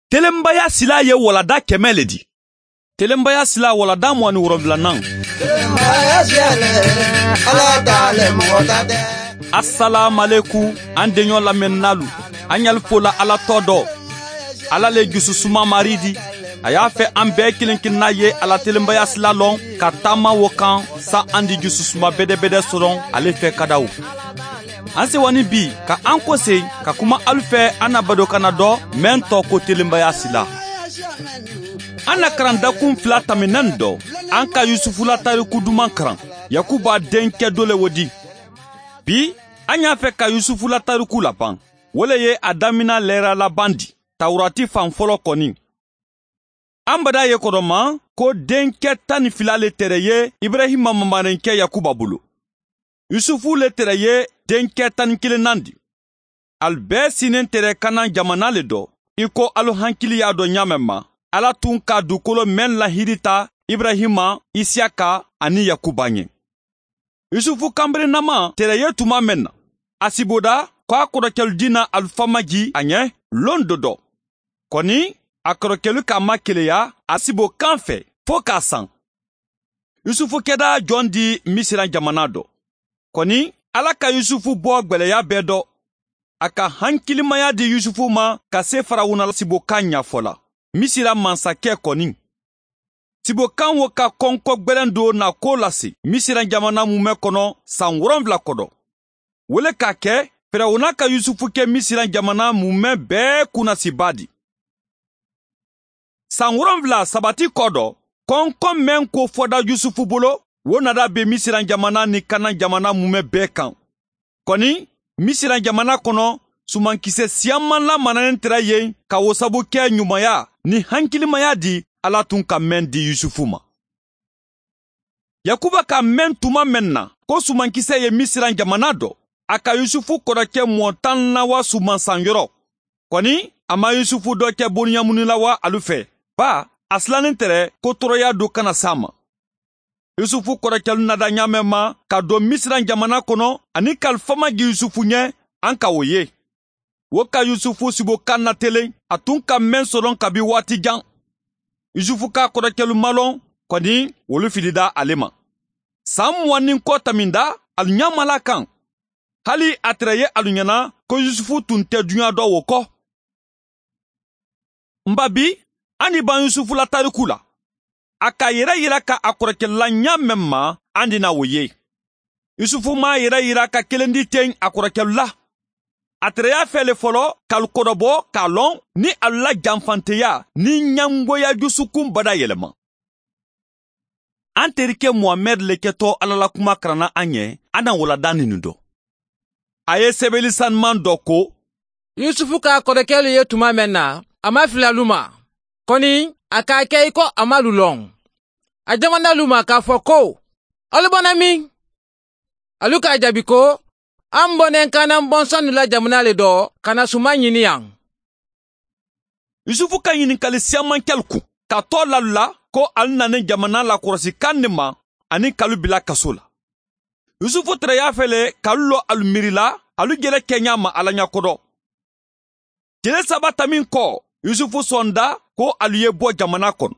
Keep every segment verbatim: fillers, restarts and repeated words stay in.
Telenbaya sila ye walada kɛmɛ le di. Telenbaya sila walada mugan ni wolonfilanan. Assalamualaikum an denɲɔ lamɛnnalu. An y'al fola Ala tɔ dɔ. Ala le jususuma mari di. A y'a fɛ an bɛɛ kelen kelenna ye Ala telenbaya sila lɔn ka taama wo kan sa an di jususuma bɛdɛbɛdɛ sɔrɔ ale fɛ kadaw. An sewani bi ka an kɔse ka kuma alu fɛ an na badokana dɔ mɛn tɔ ko telenbaya sila. An na karandakun fila taminan dɔ an ka Yusufu la tariku duman karan Yakuba denkɛ dɔ le wo di. Bi an y'a fɛ ka Yusufu la tariku laban. O le ye a damina lɛra laban di Tawurati fan fɔlɔ kɔni. An bada ye kɔrɔma ko denkɛ tan ni fila le tɛrɛ ye Ibrahima mamarenkɛ Yakuba bolo. Yusufu le tɛrɛ ye denkɛ tan ni kelennan di. Al bɛɛ sinen tɛrɛ Kanan jamana le dɔ. I ko alu hankili y'a dɔn ɲa mɛn ma. Ala tun ka dugukolo mɛn lahiri ta Ibrahima, Isiyaka ani Yakuba ɲɛ. Yusufu kanberenama tɛrɛ ye tuma mɛn na. A siboda ko a kɔrɔkɛlu dina alufamaji a ɲɛ lon dɔ dɔ. Kɔni a kɔrɔkɛlu k'a ma keleya a sibo kan fɛ fo k'a san. Yusufu kɛda jɔn di Misira jamana dɔ. Kɔni Ala ka Yusufu bɔ gwɛlɛya bɛɛ dɔ. A ka hankilimaya di Yusufu ma ka se Farawuna sibokan ɲɛfɔ la. Misira mansakɛ kɔni. Sibokan wo ka kɔnkɔ gwɛlɛn do na ko lase Misira jamana mumɛ kɔnɔ san wolonfila kɔdɔ. Wele k'a kɛ Firawuna ka Yusufu kɛ Misira jamana mumɛ bɛɛ kunnasiba di. San wolonfila sabati kɔ dɔ, kɔnkɔ mɛn ko fɔda Yusufu bolo, wo nada be Misira jamana ni Kanan jamana mumɛ bɛɛ kan. Kɔni Misira jamana kɔnɔ sumankisɛ siyaman lamananen tɛrɛ yen ka wo sabu kɛ ɲumanya ni hankilimaya di Ala tun ka mɛn di Yusufu ma. Yakuba ka mɛn tuma mɛn na ko sumankisɛ ye Misira jamana dɔ, a ka Yusufu kɔrɔkɛ mɔ tan na wa sumansanyɔrɔ. Kɔni a ma Yusufu dɔ kɛ bonyamunila wa alu fɛ. Ba a silannen tɛrɛ ko tɔɔrɔya do kana s'a ma. Yusufu kɔrɔkɛlu nada ɲamɛ ma ka don Misira jamana kɔnɔ ani kalifama gi Yusufu ɲɛ an ka o ye. Wo ka Yusufu sibokan na telen a tun ka mɛn sɔrɔ kabi waati jan. Yusufu ka kɔrɔkɛlu malɔn kɔni wolu filida ale ma. San mugan ni kɔ taminda alu ɲamala kan. Hali a tɛrɛ ye alu ɲɛna ko Yusufu tun tɛ duɲa dɔ wo kɔ. Nba bi an ni ban Yusufu la tariku la. A ka yɛrɛ yira ka a kɔrɔkɛla ɲa mɛn ma an dina o ye. Yusufu m'a yɛrɛ yira ka kelen di ten a kɔrɔkɛlu la. A tɛrɛ y'a fɛ le fɔlɔ k'alu kɔrɔbɔ k'a lɔn ni alu la janfanteya ni ɲangoya dusukun bada yɛlɛma. An terikɛ Muhamɛd le kɛtɔ Ala la kuma karanna an ɲɛ an na walada ninnu dɔ. A ye sɛbɛnni sanuman dɔ ko Yusufu k'a kɔrɔkɛlu ye tuma mɛn na a ma fili alu ma. Kɔni a k'a kɛ i ko a ma lu lɔn. A jamana lu ma k'a fɔ ko alu bɔnna min? Alu k'a jaabi ko an bɔnnen Kanan bɔnsɔnnu la jamana le dɔ ka na suman ɲini yan. Yusufu ka ɲininkali siyaman kɛlu kun ka tɔ lalu la ko alu nanen jamana lakɔlɔsi kan de ma ani k'alu bila kaso la. Yusufu tɛrɛ y'a fɛ le k'alu lɔ alu miiri la alu jɛlɛ kɛɲa ma Ala ɲɛkɔrɔ. Tile saba tamin kɔ Yusufu sɔnda ko alu ye bɔ jamana kɔnɔ.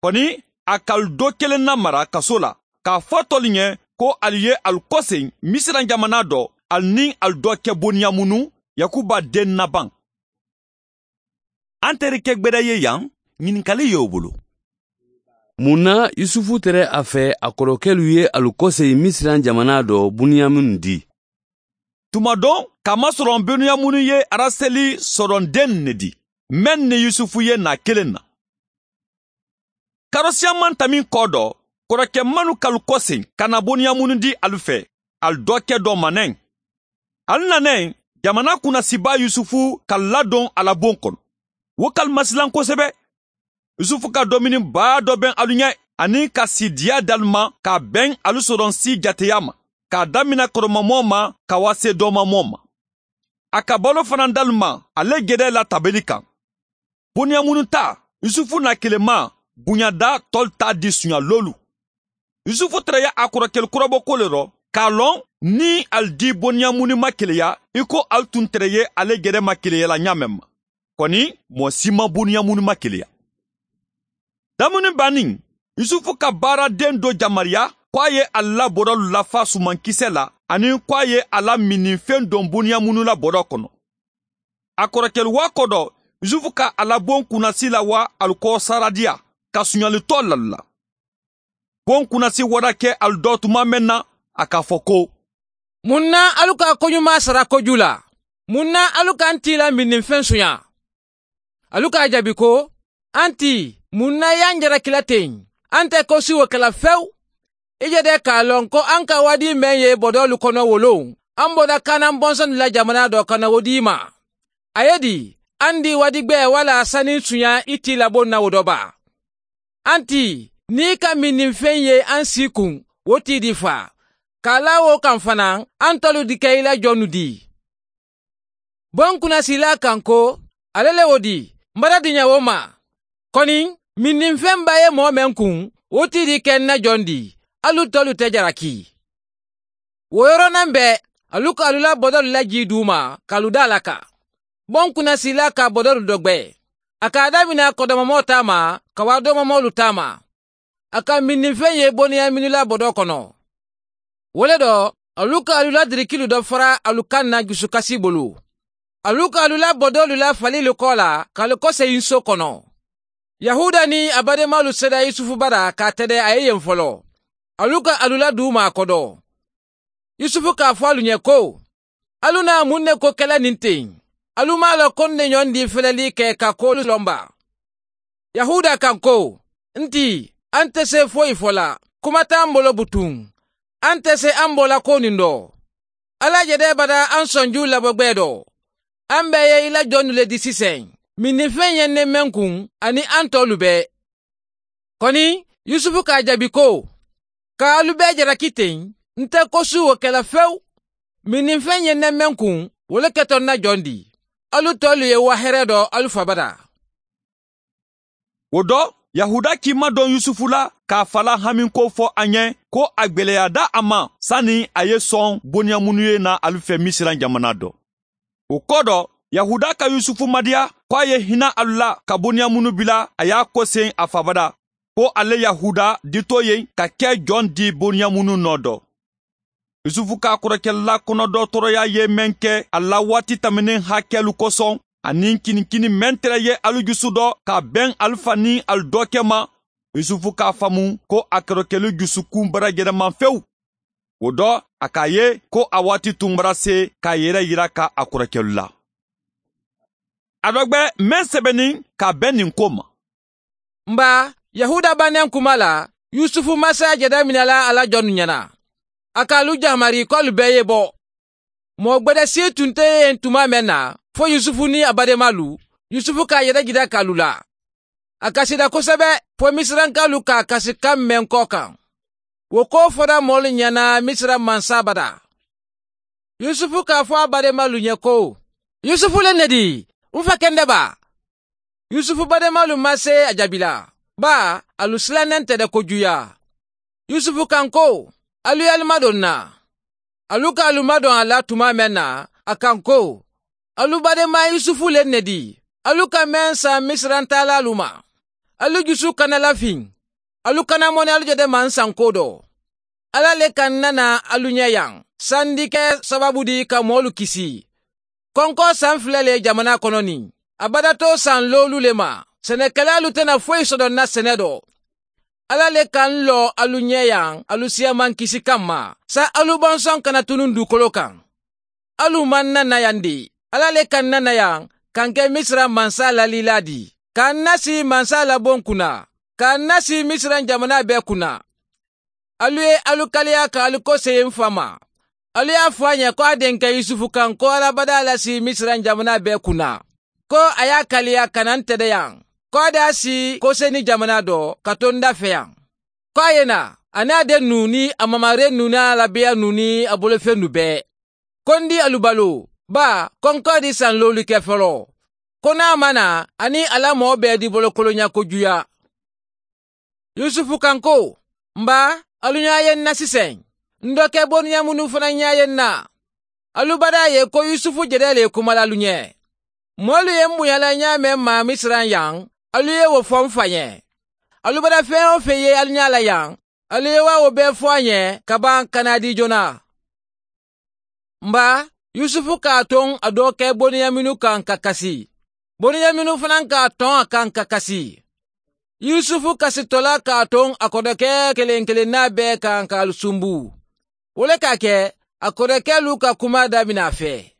Kɔni a k'alu dɔ kelen na mara kaso la k'a fɔ tɔlu ɲɛ ko alu ye alu kɔsen Misira jamana dɔ alu ni alu dɔ kɛ boniyamunu Yakuba den naban. An terikɛ gbɛdɛ ye yan ɲininkali y'o bolo. Mun na Yusufu tɛrɛ a fɛ a kɔrɔkɛlu ye alu kɔsen Misira jamana dɔ Buniyaminu di? Tuma dɔ kamasɔrɔ Buniyaminu ye Araseli sɔrɔnden ne di mɛn ni Yusufu ye na kelen na. Karosiyaman tamin kɔ dɔ kɔrɔkɛ manu k'alu kɔsen ka na Buniyaminu di alu fɛ alu dɔ kɛ dɔ manɛn. Alu nanɛn jamana kunnasiba Yusufu ka ladon a la bon kɔnɔ. Wo k'alu masilan kosɛbɛ. Yusufu ka domini baa dɔ bɛn alu ɲɛ ani ka sidiya d'alu ma k'a bɛn alu sɔrɔ si jateya ma k'a damina kɔrɔmamɔ ma ka wa se dɔmamɔ ma. A ka balo fana d'alu ma ale gɛdɛ la tabeli kan. Buniyamunu ta Yusufu na kelema bonyada tɔl ta di sunyalolu. Yusufu tɛrɛ ye a kɔrɔkɛlu kɔrɔbɔ ko le rɔ k'a lɔn ni ali di Buniyamunu ma keleya i ko ali tun tɛrɛ ye ale gɛrɛ ma keleya la ɲa mɛn ma. Kɔni mɔɔ si ma Buniyamunu ma keleya. Damuni bannin, Yusufu ka baaraden dɔ jamariya ko a ye a la bɔrɔlu lafa sumankisɛ la ani ko a ye a la minifɛn don Buniyamunu la bɔrɔ kɔnɔ. A kɔrɔkɛlu wa kɔ dɔ, Yusufu ka a la bon kunnasi la wa alu kɔ saradiya ka suɲalitɔ lalu la. Bon kunnasi wara kɛ alu dɔ tuma mɛn na, a k'a fɔ ko: Mun na alu ka koɲuman sara koju la? Mun na alu k'an t'i la minifɛn suɲa? Alu k'a jaabi ko: An ti, mun na y'an jarakila ten? An tɛ ko si o kɛla fewu. I jɛdɛ k'a lɔn ko an ka wadi mɛn ye bɔdɔlu kɔnɔ wolon. An bɔra Kanan bɔnsɔn la jamana dɔ ka na o d'i ma. A ye di, an di wadigbɛ wala sani suɲa i t'i labon na o dɔ ba. An ti, n'i ka minifɛn ye an si kun, o t'i di fa. K'a la o kan fana, an tɔlu di kɛ i la jɔnnu di. Bon kunnasila kan ko, ale le o di, n bara diɲɛ o ma. Kɔni, minifɛn ba ye mɔɔ mɛn kun, o t'i di kɛ n na jɔn di. Alu tɔlu tɛ jaraki. O yɔrɔnin bɛɛ, alu ka alu la bɔdɔlu laji d'u ma, k'alu da la kan. Bon kunnasila ka bɔdɔlu dɔ gbɛ. A k'a daminɛ kɔdɔmɔmɔw ta ma, ka wa dɔmɔmɔlu ta ma. A ka minifɛn ye Buniyaminu la bɔdɔ kɔnɔ. O le dɔ, alu ka alu la dirikilu dɔ fara alu kan na dusukasi bolo. Alu ka alu la bɔdɔlu la falilu kɔ la, k'alu kɔsegin so kɔnɔ. Yahuda ni a badenmalu sera Yusufu bara k'a tɛdɛ a ye yen fɔlɔ. Alu ka alu la d'u ma a kɔdɔ. Yusufu k'a fɔ alu ɲɛ ko: Alu na mun ne ko kɛlɛ nin ten? Alu m'a lɔn ko ne ɲɔgɔn di filɛli kɛ ka kolu lɔnba. Yahuda kan ko: N ti, an tɛ se foyi fɔ la. Kuma t'an bolo butun. An tɛ se an bɔla ko nin dɔ. Ala jɛdɛ bada an sɔnju labɔgbɛ dɔ. An bɛɛ ye i la jɔnnu le di sisan. Minifɛn ye ne mɛn kun ani an tɔlu bɛɛ. Kɔni, Yusufu k'a jaabi ko: K'alu bɛɛ jalaki ten, n tɛ ko su o kɛla fewu. Minifɛn ye ne mɛn kun, o le kɛtɔ na jɔn di. Alu tɔlu ye wa hɛrɛ dɔ alu fabada. O dɔ, Yahuda k'i madɔn Yusufu la k'a fala hami ko fɔ a ɲɛ ko a gwɛlɛya da a ma sani a ye sɔn Buniyamunu ye na alu fɛ Misiran jamana dɔ. O kɔ dɔ, Yahuda ka Yusufu madiya ko a ye hinɛ alu la ka Buniyamunu bila a y'a kɔsen a fabada ko ale Yahuda ditɔ ye ka kɛ jɔn di Buniyamunu nɔ dɔ. Yusufu k'a kɔrɔkɛla kɔnɔdɔ tɔɔrɔya ye mɛn kɛ a la waati tɛmɛnen hakɛlu kosɔn ani kinikini mɛn tɛrɛ ye alu jusu dɔ ka bɛn alu fa ni alu dɔkɛ ma. Yusufu k'a faamu ko a kɔrɔkɛlu jusukun bara yɛlɛma fewu. O dɔ, a k'a ye ko a waati tun bara se k'a yɛrɛ yira ka a kɔrɔkɛlu la. A dɔ gbɛ mɛn sɛbɛnni ka bɛn nin ko ma. Nba, Yahuda bannen kuma la, Yusufu masa jɛda minɛla a la jɔnnu ɲɛna. A k'alu jamari k'alu bɛɛ ye bɔ. Mɔgɔ gbɛdɛ si tun tɛ yen tuma mɛn na, fo Yusufu ni a badenmalu. Yusufu k'a yɛrɛ jira k'alu la. A kasira kosɛbɛ fo Misirankalu k'a kasikan mɛn kɔ kan. O ko fɔra mɔɔlu ɲɛna Misira mansa bada. Yusufu k'a fɔ a badenmalu ɲɛ ko: Yusufu le ne di, n fa kɛndɛ ba. Yusufu badenmalu ma se a jaabi la, ba alu silannen tɛ dɛ kojuya. Yusufu kan ko: Alu y'alu madon na. Alu ka alu madon a la tuma mɛn na, a kan ko: Alu badenma Yusufu le ne di. Alu ka mɛn san Misiran taalalu ma. Alu jusu kana lafin. Alu kana mɔnɛ alu jɛdɛ man san ko dɔ. Ala le ka nana alu ɲɛ yan. Sandi kɛ sababu di ka mɔɔlu kisi. Kɔnkɔ san filɛ le jamana kɔnɔ nin. A bada to san loolu le ma. Sɛnɛkɛlalu tɛna foyi sɔrɔ na sɛnɛ dɔ. Ala le ka n lɔ alu ɲɛ yan alu siyaman kisi kanma. Sa alu bɔnsɔn kana tunun dugukolo kan. Alu man nana yan de. Ala le ka nana yan k'an kɛ Misira mansa lalila di. K'an nasi mansa labon kunna. K'an nasi Misira jamana bɛɛ kunna. Alu ye alu kaliya ka alu kɔsegin fa ma. Alu y'a fɔ a ɲɛ ko a denkɛ Yusufu kan ko alabada lasi Misira jamana bɛɛ kunna. Ko a y'a kaliya ka na n tɛdɛ yan. Ko a d'a si koseni jamana dɔ ka to n da fɛ yan. Ko a ye na, a n'a den nu ni a mamare nu n'a labiya nu ni a bolofɛn nu bɛɛ. Ko n di alu balo, ba kɔnkɔ di san loolu kɛ fɔlɔ. Ko n'a ma na, ani ala mɔɔ bɛɛ di bolokolonya kojuya. Yusufu kan ko: Nba, alu ɲa ye n na sisan. N dɔkɛ Buniyamunu fana ɲa ye n na. Alu bada ye ko Yusufu jɛdɛ le kumala alu ɲɛ. Mɔlu ye n bonyala ɲa mɛn ma Misiran yan, alu ye o fɔ n fa ɲɛ. Alu bara fɛn o fɛn ye alu ɲa la yan, alu ye wa o bɛɛ fɔ an ɲɛ ka ban ka na di joona. Nba, Yusufu k'a ton a dɔkɛ Boniyaminu kan ka kasi. Boniyaminu fana k'a tɔn a kan ka kasi. Yusufu kasitɔla k'a ton a kɔrɔkɛ kelen kelenna bɛɛ kan k'alu sunbu. O le k'a kɛ a kɔrɔkɛlu ka kuma daminɛ a fɛ.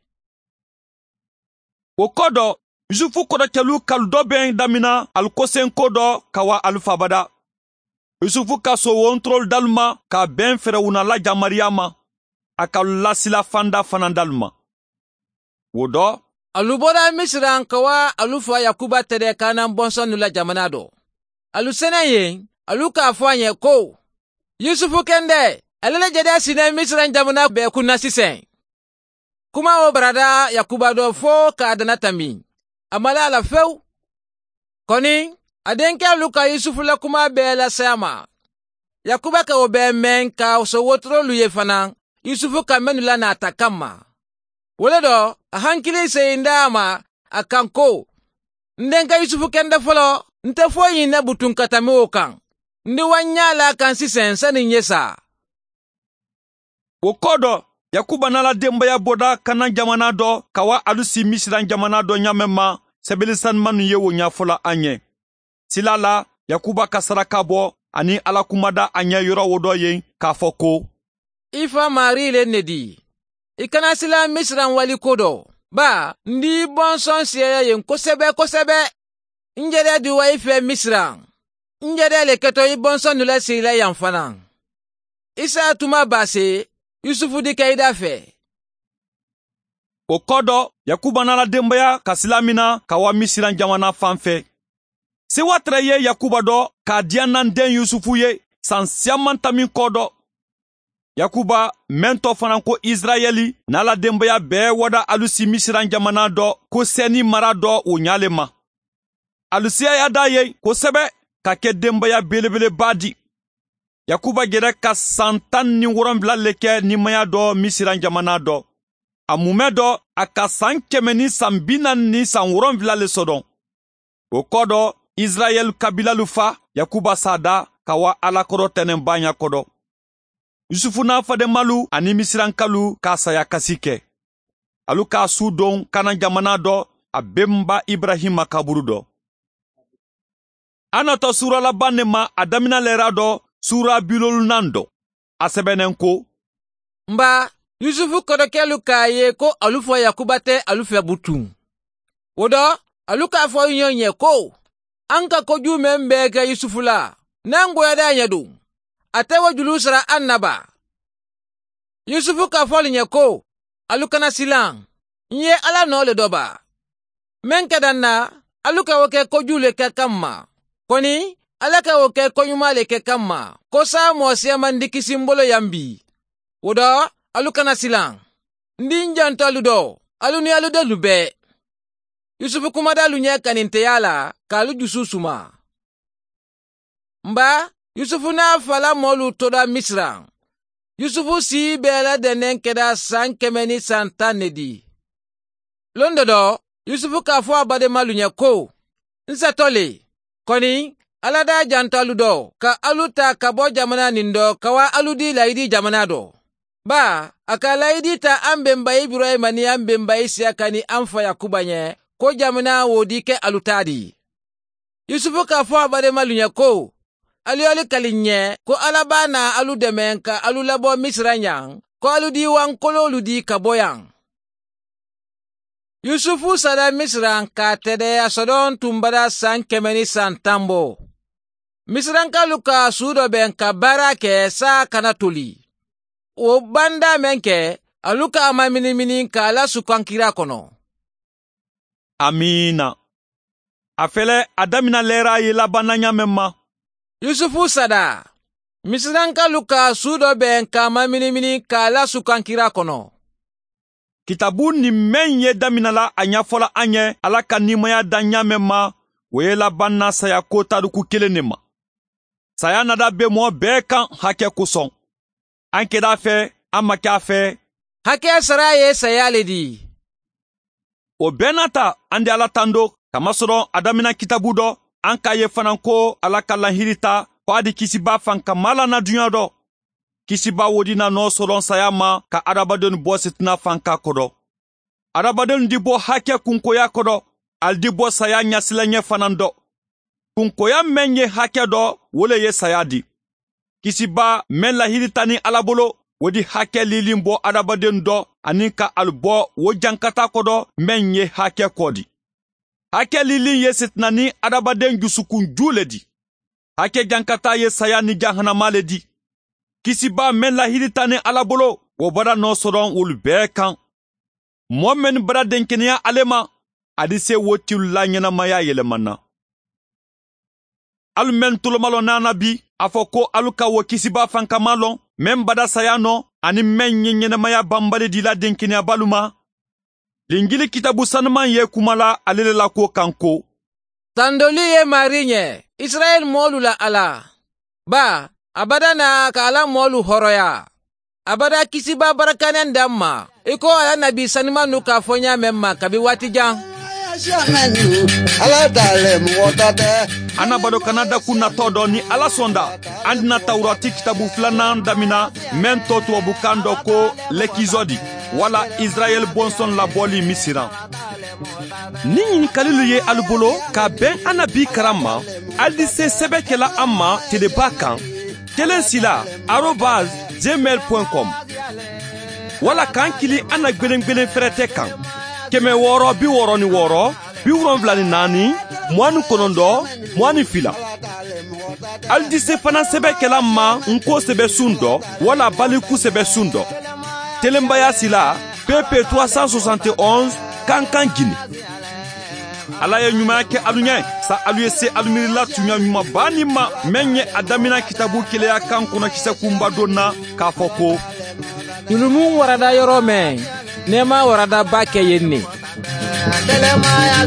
O kɔ dɔ, Yusufu kɔrɔkɛlu kalu dɔ bɛn damina alu kosenko dɔ ka wa alu fabada. Yusufu ka so wontorolu dalu ma ka bɛn fɛrɛwuna la jamariya ma. A ka lasila fanda fana dalu ma. O dɔ, alu bɔra Misiran ka wa alu fa Yakuba tɛrɛ Kanan bɔnsɔnnu la jamana dɔ. Alu sɛnɛ yen, alu k'a fɔ a ɲɛ ko, Yusufu kɛndɛ, ale le jɛdɛ sinɛ Misiran jamana bɛɛ kunna sisan. Kuma o barada Yakuba dɔ fo k'a dana tami. A ma la a la fewu. Kɔni, a denkɛlu ka Yusufu la kuma bɛɛ lase a ma. Yakuba ka o bɛɛ mɛn ka so wotorolu ye fana, Yusufu ka mɛnnu la n'a ta kama. O le dɔ, a hankili seyin d'a ma a kan ko, n denkɛ Yusufu kɛndɛ fɔlɔ, n tɛ foyi ɲinɛ butun ka tɛmɛ o kan. N di wa ɲa la kan sisan sani n ye sa. O kɔ dɔ, Yakuba n'ala denbaya bɔda Kanan jamana dɔ ka wa alu si Misiran jamana dɔ ɲamɛ ma, sɛbɛnni ye o ɲɛfɔla an ɲɛ. Sila la, Yakuba ka saraka bɔ ani Ala kumada a ɲɛ yɔrɔ o dɔ yen k'a fɔ ko, I fa Mari le ne di. I kana sila Misiran wali ko dɔ. Ba, n di bɔnsɔn siyaya yen kosɛbɛ kosɛbɛ. N yɛrɛ di wa i fɛ Misiran. N yɛrɛ le kɛtɔ i bɔnsɔn nu la sigila yan fana. Isa tuma ba se, Yusufu di kɛ i da fɛ. O kɔ dɔ, Yakuba n'ala denbaya ka sila min na ka wa Misiran jamana fan fɛ. Sewa tɛrɛ ye Yakuba dɔ k'a diya n'an den Yusufu ye san siaman tamin kɔ dɔ. Yakuba mɛn tɔ fana ko Israɛli n'ala denbaya bɛɛ wada alu si Misiran jamana dɔ ko sɛni mara dɔ o ɲale ma. Alu siyaya da ye kosɛbɛ ka kɛ denbaya belebeleba di. Yakuba yɛrɛ ka san tan ni wɔrɔnwula le kɛ nimaya dɔ Misiran jamana dɔ. A mumɛ dɔ a ka san kɛmɛ ni san bi naani ni san wɔrɔnwula le sɔdɔn. O kɔ dɔ, Israɛl kabilalu fa Yakuba sada ka wa Alakɔrɔ tɛnɛnba ɲakɔdɔ. Yusufu n'a fadenmalu ani Misirankalu k'a saya kasi kɛ. Alu k'a su don Kanan jamana dɔ a benba Ibrahima kaburu dɔ. An natɔ sura laban ne ma a damina lɛra dɔ sura bilolunan dɔ. A sɛbɛnnen ko, Nba, Yusufu kɔrɔkɛlu k'a ye ko alu fɔ Yakuba tɛ alu fɛ butun. O dɔ, alu k'a fɔ ɲɔgɔn ɲɛ ko, an ka kojugu mɛn bɛɛ kɛ Yusufu la, n'an goyara a ɲɛ don. A tɛ o juru sara an na ba. Yusufu k'a fɔ alu ɲɛ ko, alu kana silan, n ye Ala nɔ le dɔ ba. Mɛn ka dan na, alu ka o kɛ kojugu le kɛ kan ma. Kɔni, Ala ka o kɛ koɲuman le kɛ kan ma, ko sa mɔgɔ siyaman di kisi n bolo yan bi. O dɔ, alu kana silan. N di n janto alu dɔ, alu ni alu denlu bɛɛ. Yusufu kumada alu ɲɛ kaninteya la k'alu dusu suma. Nba, Yusufu n'a fala mɔlu tora Misiran. Yusufu si bɛɛ ladɛnnen kɛra san kɛmɛ ni san tan ne di. Lon dɔ dɔ, Yusufu k'a fɔ a badenmalu ɲɛ ko, n satɔ le, kɔni, Ala da janto alu dɔ, ka alu ta ka bɔ jamana nin dɔ, ka wa alu di layidi jamana dɔ. Ba, a ka layidi ta an bɛnba Ibrahima ni an bɛnba Isiyaka ni an fa Yakuba ɲɛ, ko jamana wo di kɛ alu ta di. Yusufu k'a fɔ a badenmalu ɲɛ ko, alu alu kali ɲɛ ko Ala b'a na alu dɛmɛ ka alu labɔ Misira yan, ko alu di wankololu di ka bɔ yan. Yusufu sara Misira k'a tɛrɛ a sɔdɔn tun bara san kɛmɛ ni san tan bɔ. Misirankalu ka su dɔ bɛn ka baara kɛ sa kana toli. O banda mɛn kɛ, alu k'a ma minimini k'a la sukankira kɔnɔ. Amiina. A fɛlɛ a damina lɛra ye labanna ɲamɛ ma. Yusufu sada. Misirankalu ka su dɔ bɛn k'a ma minimini k'a la sukankira kɔnɔ. Kitabu ni mɛn ye damina la a ɲɛfɔla an ɲɛ Ala ka nimaya da ɲamɛ ma, o ye labanna saya ko tariku kelen de ma. Saya nada bɛ mɔɔ bɛɛ kan hakɛ kosɔn. An kɛra a fɛ, an ma kɛ a fɛ. Hakɛ sara ye saya le di. O bɛɛ n'a ta, an di Ala tando, kamasɔrɔ a damina kitabu dɔ, an k'a ye fana ko Ala ka lahiri ta ko a di kisiba fankama la na duɲa dɔ. Kisiba wodi na nɔ sɔrɔ saya ma ka adamadenw bɔ sitina fanka kɔrɔ. Adamadenw di bɔ hakɛ kunkoya kɔrɔ, ali di bɔ saya ɲɛsilanɲɛ fana dɔ. Kunkoya mɛn ye hakɛ dɔ, wo le ye saya di. Kisiba mɛn lahiri ta ni Ala bolo, o di hakɛ lilin bɔ adamaden dɔ ani ka ali bɔ o jankata kɔrɔ mɛn ye hakɛ kɔ di. Hakɛ lilin ye sitina ni adamaden jusukunju le di. Hakɛ jankata ye saya ni jahanama le di. Kisiba mɛn lahiri ta ni Ala bolo, o bara nɔ sɔrɔ olu bɛɛ kan. Mɔɔ mɛn bara denkɛnɛya ale ma, a di se wo tilu la ɲɛnamaya yɛlɛmana. Alu mɛn tolomalɔ nana bi, a fɔ ko alu ka wo kisiba fankama lɔn, mɛn bada saya nɔ, ani mɛn ye ɲɛnamaya banbali di la denkɛnɛyabalu ma. Linjili kitabu sanuman ye kuma la ale le la ko kan ko. Tandoli ye mari ɲɛ, Israɛl mɔɔlu la Ala. Ba, a bada na ka Ala mɔɔlu hɔrɔya. A bada kisiba barakanen d'an ma, i ko ala nabi sanuman nu k'a fɔ ɲa mɛn ma kabi waati jan. Ala t'ale mɔgɔ ta tɛ. An bado kana dakun natɔ dɔ ni Ala sɔnda, an dina Tawurati kitabu filanan damina mɛn tɔ tubabukan dɔ ko lɛkizɔdi wala Israɛl bɔnsɔn labɔli Misiran. Ni ɲininkalilu ye alu bolo ka bɛn an na bi karan ma, ali di se sɛbɛ kɛla an ma teleba kan kelen sila arobase gmail point com wala k'an kili an na gwelen-gwelen fɛrɛtɛ kan kɛmɛ wɔɔrɔ bi wɔɔrɔ ni wɔɔrɔ bi wolonfila ni naani mugan ni kɔnɔntɔn mugan ni fila. Ali di se fana sɛbɛ kɛla ma nko sɛbɛ sun dɔ wala baliku sɛbɛ sun dɔ. Telenbaya sila P P trois cent soixante et onze Kankan Guinée. Ala ye ɲumanya kɛ alu ɲɛ, sa alu ye se alu miirila tunya ɲumanba nin ma mɛn ye a damina kitabu keleya kan kɔnɔ kisɛ kunba don na k'a fɔ ko julumun warada yɔrɔ mɛn, nɛɛma warada ba kɛ yen ne. Telemaya